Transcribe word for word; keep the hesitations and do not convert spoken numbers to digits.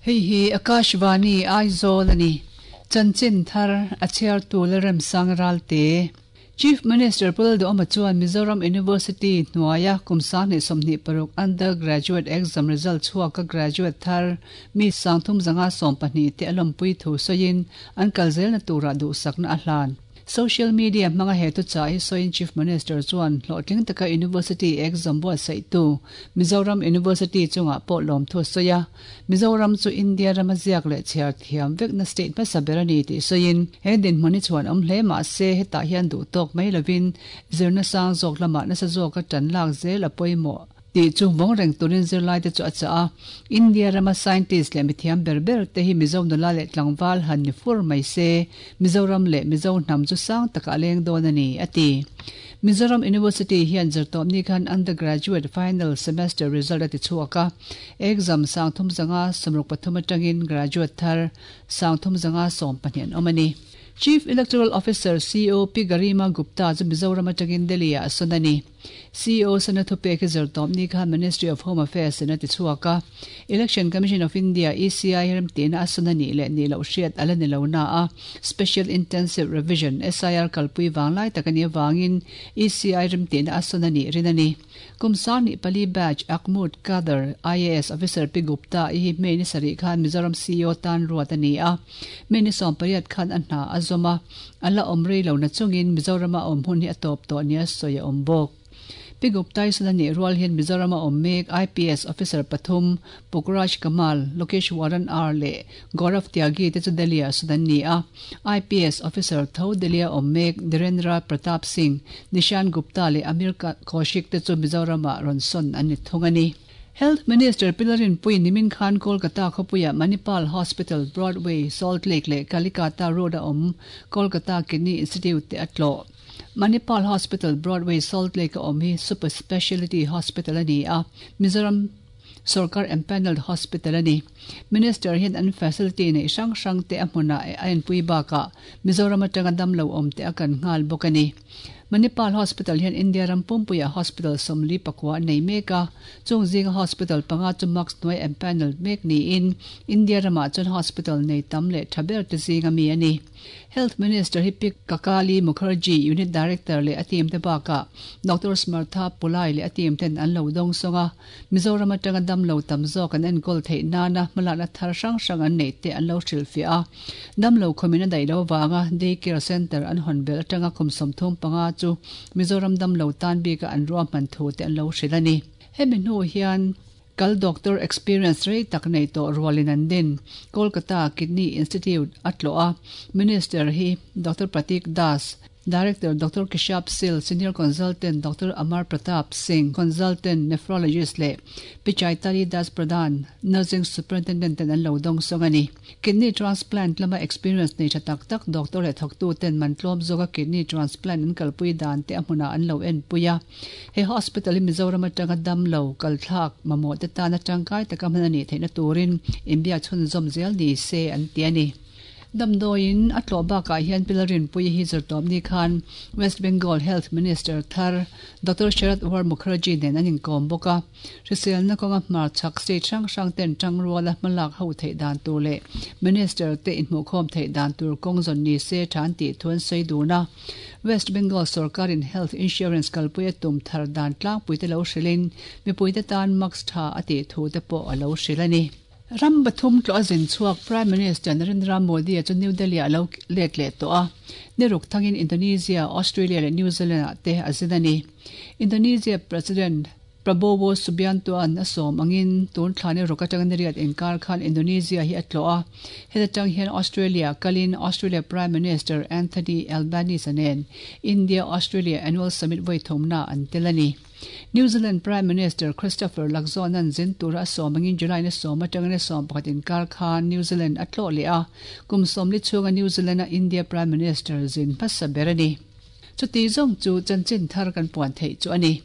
Hei hi Akashvani Aizawl a ni. Chanchin thar a chhiartu Lalremsang Ralte. Chief Minister Pu Lalduhoma chuan Mizoram University hnuaia kum sanghnih sawmhnih paruk undergraduate exam result chhuaka graduate thar mi sangthum zanga sawm pahnih te a lawmpui thu sawiin an kal zelna turah duhsakna a hlan. Social media hmanga he thuchah hi sawiin Chief Minister chuan hlawhtling taka University exam buatsaihtu Mizoram University chungah pawh lawmthu a sawi a. Mizoram chu India rama ziak leh chhiar thiam vekna state hmasa ber a ni tih sawiin he dinhmun hi chhuan awm hle mah se hetah hian duh tawk mai lovin zirna sang zawk lamah nasa zawka tan lak zel a pawimawh tih chu vawng reng turin zirlai te chu a chah a. India rama scientist leh mithiam ber ber te hi Mizo nula leh tlangval han ni fur mai se Mizoram leh Mizo hnam chu sang takah a leng dawn a ni, a ti. Mizoram University hian zirtawpni khan undergraduate final semester result a ti chhuak a. Exam sangthum zanga sawmruk pathum atangin graduate thar sangthum zanga sawm pahnih an awm a ni. Chief Electoral Officer, C E O, Pi Garima Gupta chu Mizoram atangin Delhi ah a sawn a ni. C E O sana thupek hi zirtawpni khan Ministry of Home Affairs in a ti chhuak a. Election Commission of India, E C I, remtihna a sawn a nih leh nih loh hriat a la ni lo na a, Special Intensive Revision, S I R, kalpui vanglai tak a nih avangin E C I remtihna a sawn a nih rin a ni. Kum sanghnih pali batch ACMUD cadre I A S officer Pi Gupta i hi May ni sarih khan Mizoram C E O tan ruat a ni a. May ni sawm pariat khan a hna a zawm a, a la awm rei lo na chungin Mizorama awm hun hi a tawp tawh nia sawi a awm bawk. Pi Gupta i sawn a nih rual hian Mizorama awm mek I P S officer pathum Pukraj Kamal, Lokesh Waran R leh Gaurav Tyagi te chu Delhi ah sawn an ni a. I P S officer tho Delhi a awm mek Dhirendra Pratap Singh, Nishan Gupta leh Amir Kaushik te chu Mizorama rawn sawn an ni thung a ni. Health Minister Pi Lalrinpuii nimin khan Kolkata khawpuia Manipal Hospital, Broadway, Salt Lake leh Kalikata Road a awm Kolkata Kidney Institute te a tlawh. Manipal Hospital, Broadway, Salt Lake a awm hi super speciality hospital a ni a, Mizoram sarkar empanelled hospital a ni. Minister hian an facility nei hrang hrang te a hmunah a enpui bakah Mizoram atanga damlo awm te a kan nghal bawk a ni. Manipal Hospital hian India ram pumpuia hospital sawmli pakua an nei mek a, chung zinga hospital panga chu MARCS hnuai empanelled mek niin India ramah chuan hospital nei tam leh tha ber te zinga mi a ni. Health Minister hi Pi Kakali Mukherjee, Unit Director leh a team te bakah Doctor Smartha Pulai leh a team ten an lo dawng sawng a, Mizoram atanga damlo tam zawk an enkawl theih nana hmalakna thar hrang hrang an neih te an lo hrilhfiah a. Damlo khumin a daih lo avanga day care center an hawn belh atanga kum sawmthum panga chu Mizoram damlo tan bika an ruahman thu te an lo hrilh a ni. Hemi hnu hian kal doctor experience rei tak nei tawh rualin an din Kolkata Kidney Institute a tlawh a. Minister hi Doctor Pratik Das, Director Doctor Keshab Sil, Senior Consultant Doctor Amar Pratap Singh, Consultant Nephrologist leh Pi Chaitali Das Pradhan, Nursing Superintendent ten an lo dawng sawng a ni. Kidney transplant lama experience nei tha tak tak doctor leh thawktu ten man tlawm zawka kidney transplant an kalpui dan te a hmunah an lo enpui a. He hospital hi Mizoram atanga damlo kalthlak mamawh te tan atangkai taka hman a nih theihna turin inbiak chhunzawm zel ni se an ti a ni. Damdawiin a tlawh bakah hian Pi Lalrinpuii hi zirtawpni khan West Bengal Health Minister thar Doctor Sharad War Mukherjee nen an inkawm bawk a. Hriselna kawnga hmarchhak state hrang hrang ten tangruala hmalak ho theih dan tur leh Minister te inhmuhkhawm theih dan tur kawng zawn ni se than tih thu an sawi dun a. West Bengal sarkarin health insurance kalpui a tum thar dan tlangpui te lo hrilhin mipui te tan MARCS tha a tih thu te pawh a lo hrilh a ni. Ram pathum tlawh a zin chhuak Prime Minister Narendra Modi chu New Delhi a lo let leh tawh a. Ni ruk thangin Indonesia, Australia leh New Zealand ah te a zin a ni. Indonesia President Prabowo Subianto an a sawm angin tun thlani ruk atanga ni riat inkar khan Indonesia hi a tlawh a. Heta tang hian Australia kalin Australia Prime Minister Anthony Albanese nen India Australia Annual Summit voi thumna an tel a ni. New Zealand Prime Minister Christopher Luxon an zin tura a sawm angin July ni sawm atanga ni sawm pakhat inkar khan New Zealand a tlawh leh a, kum sawmli chhunga New Zealand a India Prime Minister zin hmasa ber a ni. Chuti zawng chu chanchin thar kan puan theih chu a ni.